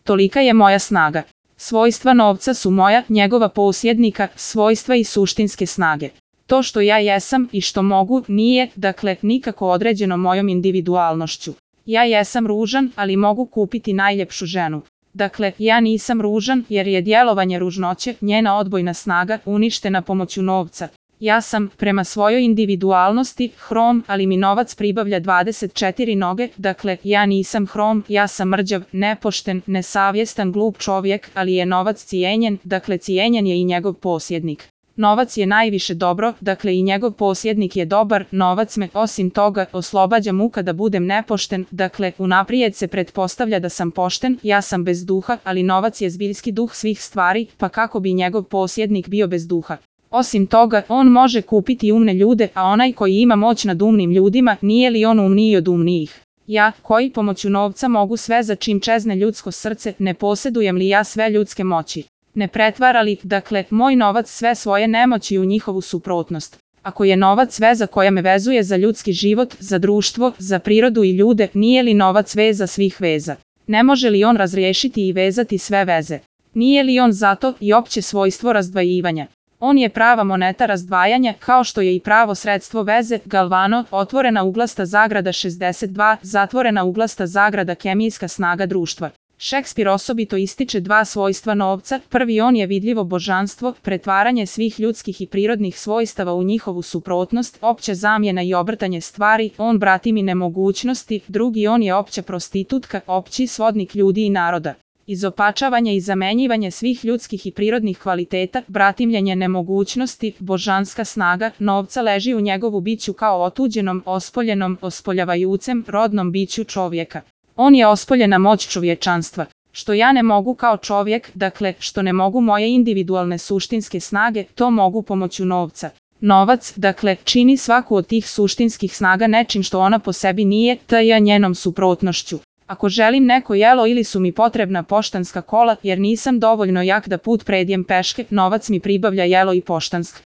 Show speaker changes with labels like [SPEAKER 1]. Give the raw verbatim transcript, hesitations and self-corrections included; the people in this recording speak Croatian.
[SPEAKER 1] tolika je moja snaga. Svojstva novca su moja, njegova posjednika, svojstva i suštinske snage. To što ja jesam i što mogu nije, dakle, nikako određeno mojom individualnošću. Ja jesam ružan, ali mogu kupiti najljepšu ženu. Dakle, ja nisam ružan jer je djelovanje ružnoće, njena odbojna snaga, uništena pomoću novca. Ja sam, prema svojoj individualnosti, hrom, ali mi novac pribavlja dvadeset četiri noge, dakle, ja nisam hrom, ja sam mrđav, nepošten, nesavjestan, glup čovjek, ali je novac cijenjen, dakle, cijenjen je i njegov posjednik. Novac je najviše dobro, dakle i njegov posjednik je dobar, novac me, osim toga, oslobađa muka da budem nepošten, dakle, unaprijed se pretpostavlja da sam pošten, ja sam bez duha, ali novac je zbiljski duh svih stvari, pa kako bi njegov posjednik bio bez duha? Osim toga, on može kupiti umne ljude, a onaj koji ima moć nad umnim ljudima, nije li on umniji od umnijih? Ja, koji pomoću novca mogu sve za čim čezne ljudsko srce, ne posjedujem li ja sve ljudske moći? Ne pretvara li, dakle, moj novac sve svoje nemoći u njihovu suprotnost? Ako je novac veza koja me vezuje za ljudski život, za društvo, za prirodu i ljude, nije li novac veza svih veza? Ne može li on razriješiti i vezati sve veze? Nije li on zato i opće svojstvo razdvajivanja? On je prava moneta razdvajanja, kao što je i pravo sredstvo veze, Galvano, otvorena uglasta zagrada šezdeset dva, zatvorena uglasta zagrada kemijska snaga društva. Šekspir osobito ističe dva svojstva novca, prvi on je vidljivo božanstvo, pretvaranje svih ljudskih i prirodnih svojstava u njihovu suprotnost, opća zamjena i obrtanje stvari, on bratimi nemogućnosti, drugi on je opća prostitutka, opći svodnik ljudi i naroda. Izopačavanje i zamenjivanje svih ljudskih i prirodnih kvaliteta, bratimljenje nemogućnosti, božanska snaga, novca leži u njegovu biću kao otuđenom, ospoljenom, ospoljavajucem, rodnom biću čovjeka. On je ospoljena moć čovječanstva. Što ja ne mogu kao čovjek, dakle, što ne mogu moje individualne suštinske snage, to mogu pomoću novca. Novac, dakle, čini svaku od tih suštinskih snaga nečim što ona po sebi nije, te je njenom suprotnošću. Ako želim neko jelo ili su mi potrebna poštanska kola, jer nisam dovoljno jak da put predjem peške, novac mi pribavlja jelo i poštansk.